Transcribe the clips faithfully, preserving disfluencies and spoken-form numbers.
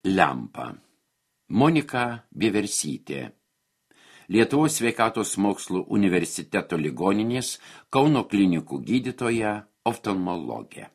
Lempa. Monika Vieversytė. Lietuvos sveikatos mokslų universiteto ligoninės Kauno klinikų gydytoja, oftalmologė.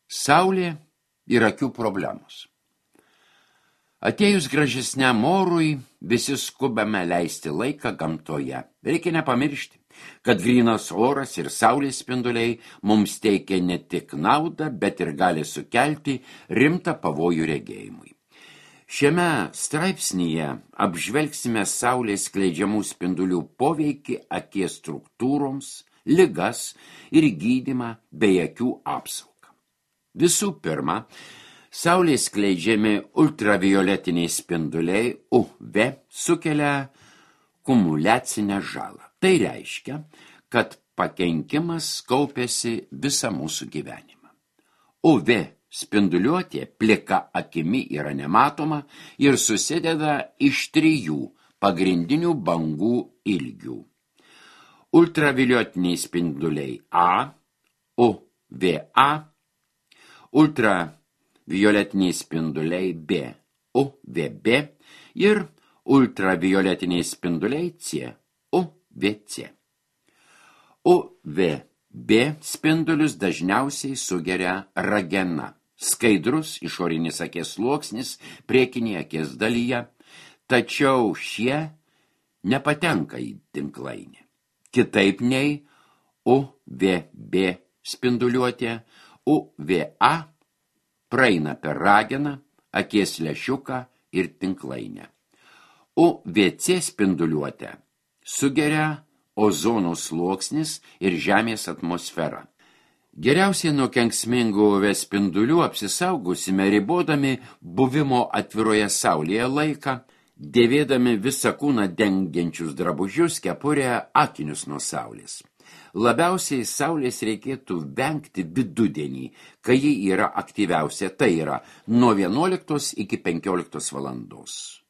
Saulė ir akių problemos. Atėjus gražesniam orui, visi skubame leisti laiką gamtoje. Reikia nepamiršti, kad grynas oras ir saulės spinduliai mums teikia ne tik naudą, bet ir gali sukelti rimtą pavojų regėjimui. Šiame straipsnyje apžvelgsime saulės skleidžiamų spindulių poveikį akies struktūroms, ligas ir gydymą bei akių apsaugą. Visų pirma, saulės skleidžiami ultravioletiniai spinduliai U V sukelia kumuliacinę žalą. Tai reiškia, kad pakenkimas kaupiasi visą mūsų gyvenimą. U V spinduliuotė plika akimi yra nematoma ir susideda iš trijų pagrindinių bangų ilgių. Ultravioletiniai spinduliai A, U V A, ultravioletiniai spinduliai B, U V B ir ultravioletiniai spinduliai C, U V C. U V B spindulius dažniausiai sugeria ragena, skaidrus išorinis akies sluoksnis priekinėje akies dalyje, tačiau šie nepatenka į tinklainę. Kitaip nei U V B spinduliuotė, U V A praeina per rageną, akies lęšiuką ir tinklainę. U V C spinduliuotę sugeria ozono sluoksnis ir Žemės atmosfera. Geriausiai nuo kenksmingų U V spindulių apsisaugosime ribodami buvimo atviroje saulėje laiką, dėvėdami visą kūną dengiančius drabužius, kepurę, akinius nuo saulės. Labiausiai saulės reikėtų vengti vidudienį, kai ji yra aktyviausia, tai yra nuo vienuoliktos iki penkioliktos valandos.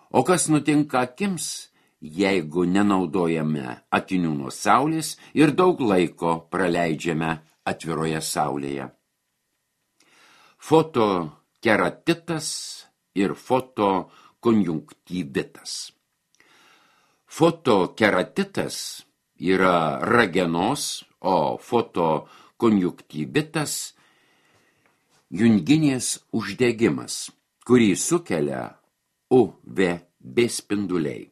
O kas nutinka akims, jeigu nenaudojame akinių nuo saulės ir daug laiko praleidžiame atviroje saulėje? Fotokeratitas ir fotokonjunktyvitas. Fotokeratitas yra ragenos, o fotokonjunktyvitas junginės uždegimas, kurį sukelia U V B spinduliai.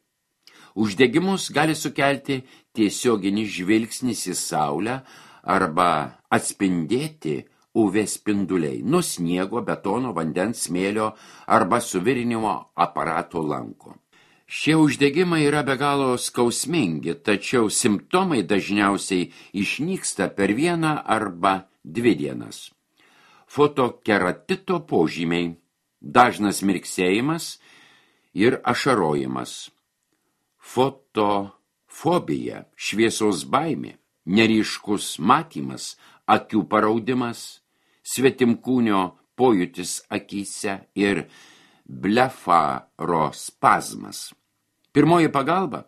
Uždegimus gali sukelti tiesioginis žvilgsnis į saulę arba atspindėti U V spinduliai nuo sniego, betono, vandens, smėlio arba suvirinimo aparato lanko. Šie uždegimai yra be galo skausmingi, tačiau simptomai dažniausiai išnyksta per vieną arba dvi dienas. Fotokeratito požymiai – dažnas mirksėjimas ir ašarojimas. Fotofobija, šviesos baimė, neryškus matymas, akių paraudimas, svetimkūnio pojūtis akyse ir blefarospazmas. Pirmoji pagalba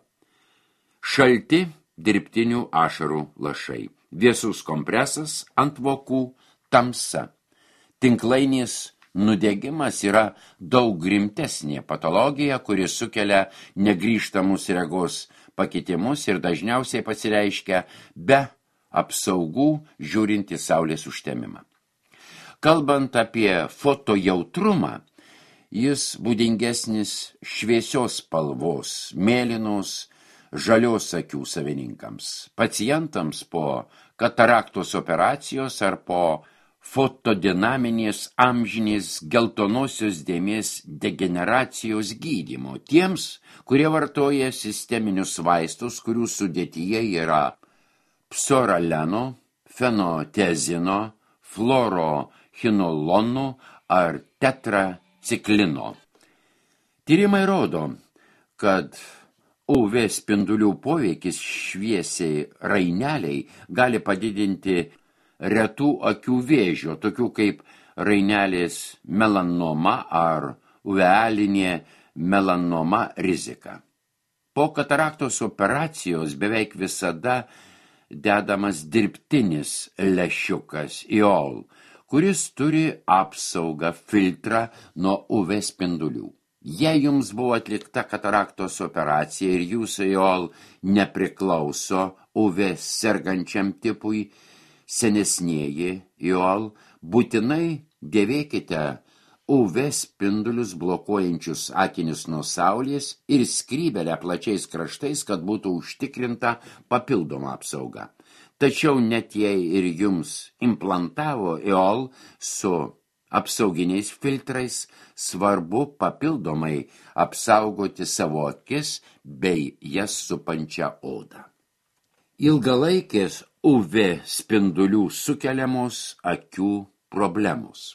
– šalti dirbtinių ašarų lašai, vėsus kompresas ant vokų, tamsa. Tinklainės nudegimas yra daug rimtesnė patologija, kuri sukelia negrįžtamus regos pakitimus ir dažniausiai pasireiškia be apsaugų žiūrint į saulės užtemimą. Kalbant apie fotojautrumą, jis būdingesnis šviesios spalvos, mėlynos, žalios akių savininkams, pacientams po kataraktos operacijos ar po fotodinaminės amžinės geltonosios dėmės degeneracijos gydymo, tiems, kurie vartoja sisteminius vaistus, kurių sudėtyje yra psoraleno, fenotezino, fluorochinolono ar tetraciklino. Tyrimai rodo, kad U V spindulių poveikis šviesiai raineliai gali padidinti retų akių vėžio, tokių kaip rainelės melanoma ar uvealinė melanoma rizika. Po kataraktos operacijos beveik visada dedamas dirbtinis lęšiukas I O L, kuris turi apsaugą filtrą nuo U V spindulių. Jei jums buvo atlikta kataraktos operacija ir jūsų iol nepriklauso U V sergančiam tipui, senesnieji iol, būtinai dėvėkite U V spindulius blokuojančius akinius nuo saulės ir skrybelę plačiais kraštais, kad būtų užtikrinta papildoma apsauga. Tačiau net jei ir jums implantavo iol su apsauginiais filtrais, svarbu papildomai apsaugoti savo akis bei jas supančią odą. Ilgalaikės U V spindulių sukeliamos akių problemos.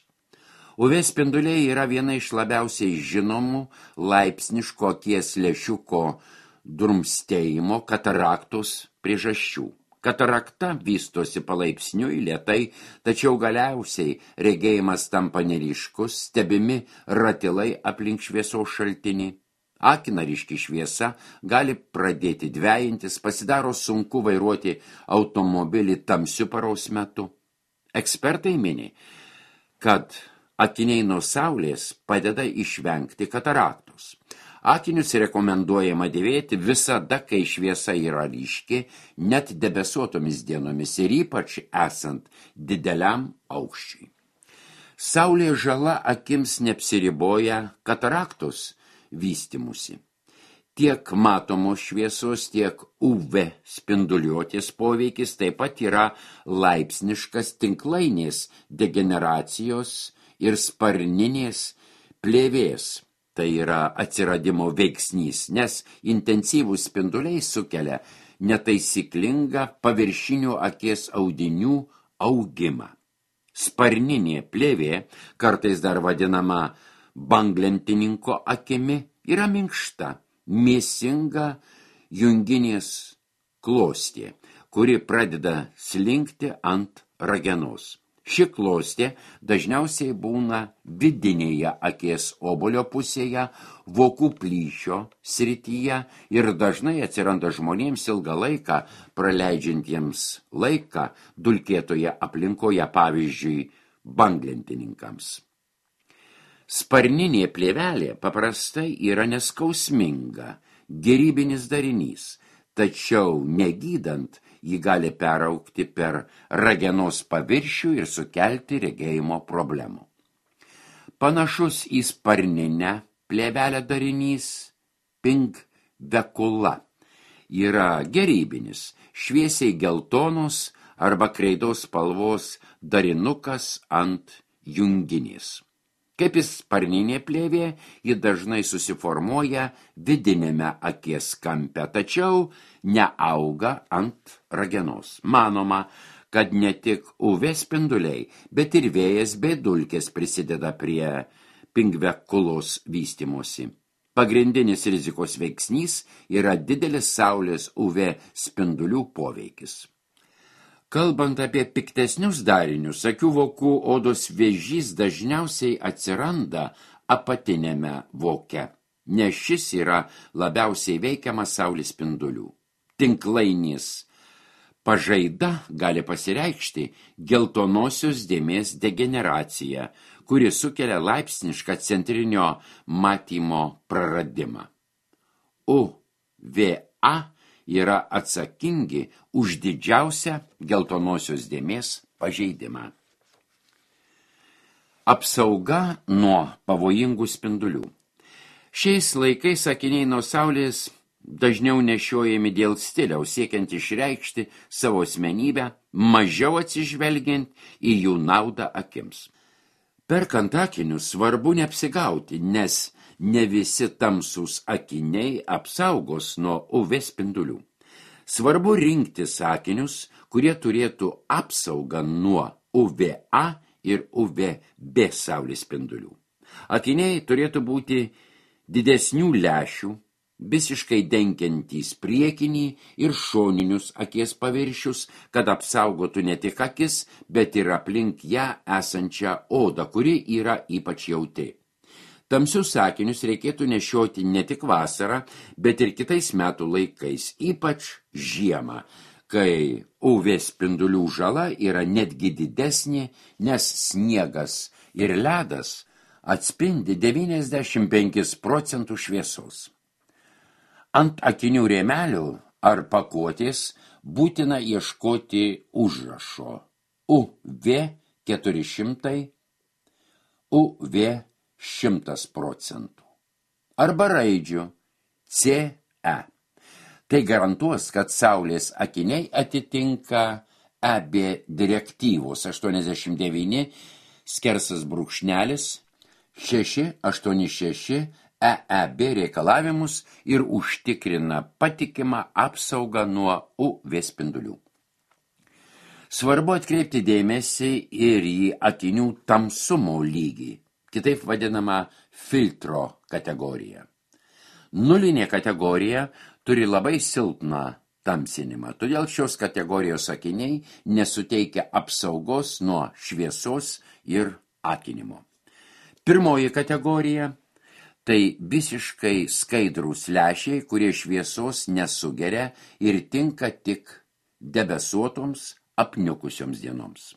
U V spinduliai yra viena iš labiausiai žinomų laipsniško akies lęšiuko drumstėjimo kataraktos priežasčių. Katarakta vystosi palaipsniui lėtai, tačiau galiausiai regėjimas tampa neryškus, stebimi ratilai aplink šviesos šaltinį. Akina ryški šviesa gali pradėti dvejintis, pasidaro sunku vairuoti automobilį tamsiu paros metu. Ekspertai mini, kad akiniai nuo saulės padeda išvengti kataraktos. Akinius rekomenduojama dėvėti visada, kai šviesa yra ryški, net debesuotomis dienomis ir ypač esant dideliam aukščiui. Saulės žala akims neapsiriboja kataraktos vystymusi. Tiek matomos šviesos, tiek U V spinduliuotės poveikis taip pat yra laipsniškas tinklainės degeneracijos ir sparninės plėvės. Tai yra atsiradimo veiksnys, nes intensyvūs spinduliai sukelia netaisyklingą paviršinių akies audinių augimą. Sparninė plėvė, kartais dar vadinama banglentininko akimi, yra minkšta, mėsinga junginės klostė, kuri pradeda slinkti ant ragenos. Ši klostė dažniausiai būna vidinėje akies obuolio pusėje, vokų plyšio srityje ir dažnai atsiranda žmonėms ilgą laiką praleidžiantiems laiką dulkėtoje aplinkoje, pavyzdžiui, banglentininkams. Sparninė plėvelė paprastai yra neskausminga, gerybinis darinys, tačiau negydant jį gali peraugti per ragenos paviršių ir sukelti regėjimo problemų. Panašus į sparninę plėvelę darinys pingvekula yra gerybinis, šviesiai geltonos arba kreidos spalvos darinukas ant junginės. Kaip ir sparninė plėvė, ji dažnai susiformuoja vidinėme akies kampe, tačiau neauga ant ragenos. Manoma, kad ne tik U V spinduliai, bet ir vėjas bei dulkės prisideda prie pingvekulos vystymosi. Pagrindinis rizikos veiksnys yra didelis saulės U V spindulių poveikis. Kalbant apie piktesnius darinius, akių vokų odos vėžys dažniausiai atsiranda apatinėme voke, nes šis yra labiausiai veikiamas saulės spindulių. Tinklainės pažaida gali pasireikšti geltonosios dėmės degeneracija, kuri sukelia laipsnišką centrinio matymo praradimą. U V A yra atsakingi už didžiausią geltonosios dėmės pažeidimą. Apsauga nuo pavojingų spindulių. Šiais laikais akiniai nuo saulės dažniau nešiojami dėl stiliaus, siekiant išreikšti savo asmenybę, mažiau atsižvelgiant į jų naudą akims. Perkant akinius svarbu neapsigauti, nes ne visi tamsūs akiniai apsaugos nuo U V spindulių. Svarbu rinktis akinius, kurie turėtų apsaugą nuo U V A ir U V B saulės spindulių. Akiniai turėtų būti didesnių lęšių, visiškai dengiantys priekinį ir šoninius akies paviršius, kad apsaugotų ne tik akis, bet ir aplink ją esančią odą, kuri yra ypač jautri. Tamsius akinius reikėtų nešioti ne tik vasarą, bet ir kitais metų laikais, ypač žiemą, kai U V spindulių žala yra netgi didesnė, nes sniegas ir ledas atspindi devyniasdešimt penkis procentus šviesos. Ant akinių rėmelių ar pakuotės būtina ieškoti užrašo U V keturi šimtai, U V šimtas procentų arba raidžių C E. Tai garantuos, kad saulės akiniai atitinka E B direktyvos aštuoniasdešimt devyni skersas brūkšnelis šeši aštuoni šeši E E B reikalavimus ir užtikrina patikimą apsaugą nuo U V spindulių. Svarbu atkreipti dėmesį ir į akinių tamsumo lygį, kitaip vadinama filtro kategorija. Nulinė kategorija turi labai silpną tamsinimą, todėl šios kategorijos akiniai nesuteikia apsaugos nuo šviesos ir akinimo. Pirmoji kategorija – tai visiškai skaidrūs lęšiai, kurie šviesos nesugeria ir tinka tik debesuotoms, apniukusioms dienoms.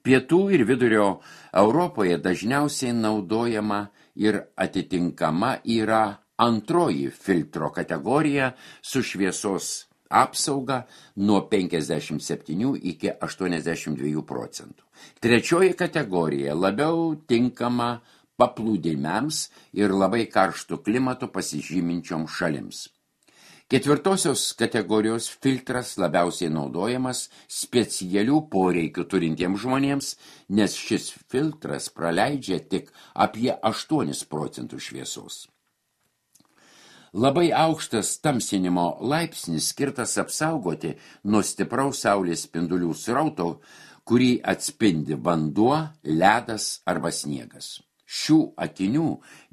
Pietų ir vidurio Europoje dažniausiai naudojama ir atitinkama yra antroji filtro kategorija su šviesos apsauga nuo penkiasdešimt septynių iki aštuoniasdešimt dviejų procentų. Trečioji kategorija labiau tinkama paplūdimiams ir labai karštų klimato pasižyminčiom šalims. Ketvirtosios kategorijos filtras labiausiai naudojamas specialių poreikių turintiems žmonėms, nes šis filtras praleidžia tik apie aštuonis procentus šviesos. Labai aukštas tamsinimo laipsnis skirtas apsaugoti nuo stipraus saulės spindulių srauto, kurį atspindi vanduo, ledas arba sniegas. Šių akinių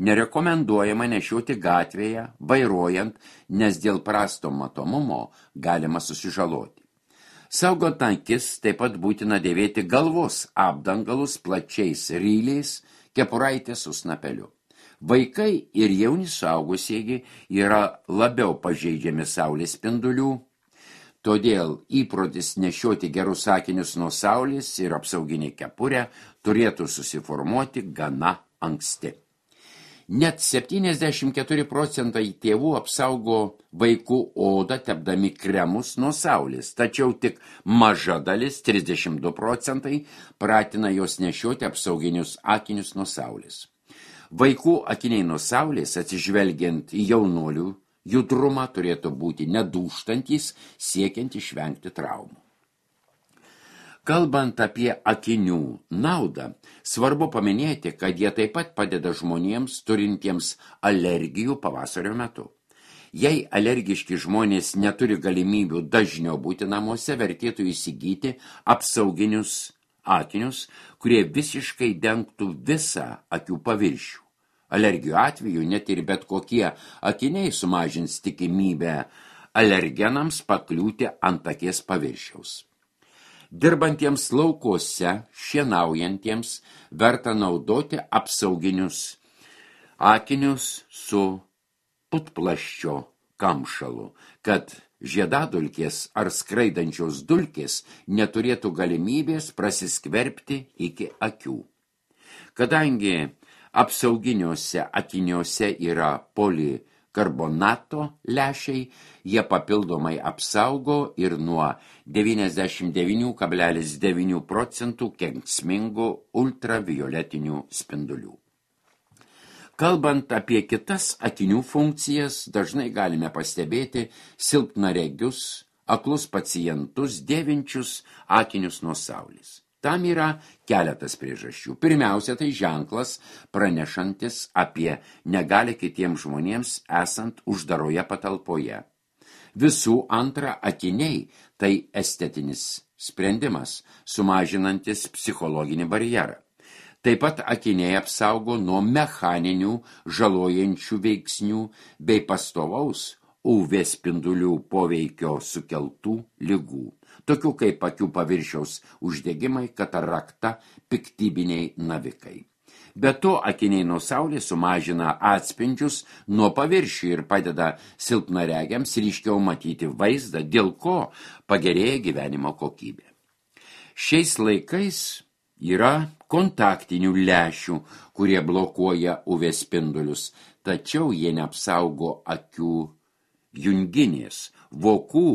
nerekomenduojama nešioti gatvėje, vairuojant, nes dėl prasto matomumo galima susižaloti. Saugant akis taip pat būtina dėvėti galvos apdangalus plačiais ryliais, kepuraitės su snapeliu. Vaikai ir jauni suaugusieji yra labiau pažeidžiami saulės spindulių, todėl įprotis nešioti gerus akinius nuo saulės ir apsauginį kepurę turėtų susiformuoti gana anksti. Net septyniasdešimt keturi procentai tėvų apsaugo vaikų odą tepdami kremus nuo saulės, tačiau tik maža dalis, trisdešimt du procentai, pratina jos nešioti apsauginius akinius nuo saulės. Vaikų akiniai nuo saulės, atsižvelgiant į jaunuolių judrumą, turėtų būti nedūžtantys, siekiant išvengti traumų. Kalbant apie akinių naudą, svarbu paminėti, kad jie taip pat padeda žmonėms turintiems alergijų pavasario metu. Jei alergiški žmonės neturi galimybių dažniau būti namuose, vertėtų įsigyti apsauginius akinius, kurie visiškai dengtų visą akių paviršių. Alergijų atveju net ir bet kokie akiniai sumažins tikimybę alergenams pakliūti ant akies paviršiaus. Dirbantiems laukuose, šienaujantiems, verta naudoti apsauginius akinius su putplasčio kamšalu, kad žiedadulkės ar skraidančios dulkės neturėtų galimybės prasiskverbti iki akių. Kadangi apsauginiuose akiniuose yra polikarbonato lęšiai, jie papildomai apsaugo ir nuo devyniasdešimt devyni kablelis devyni procentų kenksmingų ultravioletinių spindulių. Kalbant apie kitas akinių funkcijas, dažnai galime pastebėti silpnaregius, aklus pacientus, dėvinčius akinius nuo saulės. Tam yra keletas priežasčių. Pirmiausia, tai ženklas pranešantis apie negalią kitiems žmonėms esant uždaroje patalpoje. Visų antra, akiniai tai estetinis sprendimas, sumažinantis psichologinį barjerą. Taip pat akiniai apsaugo nuo mechaninių žalojančių veiksnių bei pastovaus U V spindulių poveikio sukeltų ligų, tokių kaip akių paviršiaus uždegimai, katarakta, piktybiniai navikai. Be to, akiniai nuo saulės sumažina atspindžius nuo paviršių ir padeda silpnaregiams ryškiau matyti vaizdą, dėl ko pagerėja gyvenimo kokybė. Šiais laikais yra kontaktinių lęšių, kurie blokuoja U V spindulius, tačiau jie neapsaugo akių junginės, vokų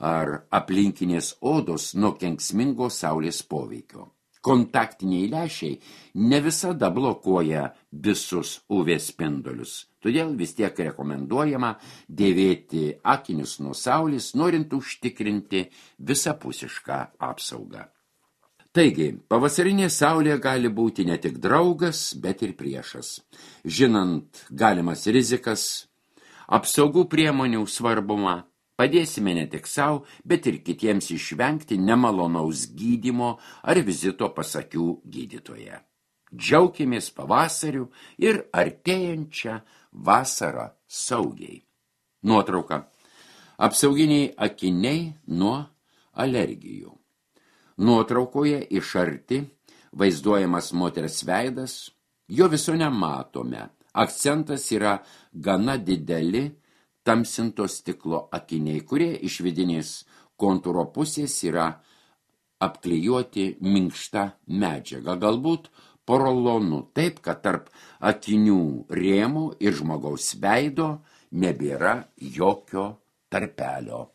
ar aplinkinės odos nuo kenksmingo saulės poveikio. Kontaktiniai lęšiai ne visada blokuoja visus U V spindulius, todėl vis tiek rekomenduojama dėvėti akinius nuo saulės, norint užtikrinti visapusišką apsaugą. Taigi, pavasarinė saulė gali būti ne tik draugas, bet ir priešas. Žinant galimas rizikas, apsaugų priemonių svarbumą, padėsime ne tik savo, bet ir kitiems išvengti nemalonaus gydymo ar vizito pas akių gydytoją. Džiaukimės pavasariu ir artėjančią vasarą saugiai. Nuotrauka. Apsauginiai akiniai nuo alergijų. Nuotraukoje iš arti vaizduojamas moters veidas, jo viso nematome. Akcentas yra gana dideli tamsinto stiklo akiniai, kurie iš vidinės kontūro pusės yra apklijuoti minkšta medžiaga, galbūt porolonu, taip, kad tarp akinių rėmų ir žmogaus veido nebėra jokio tarpelio.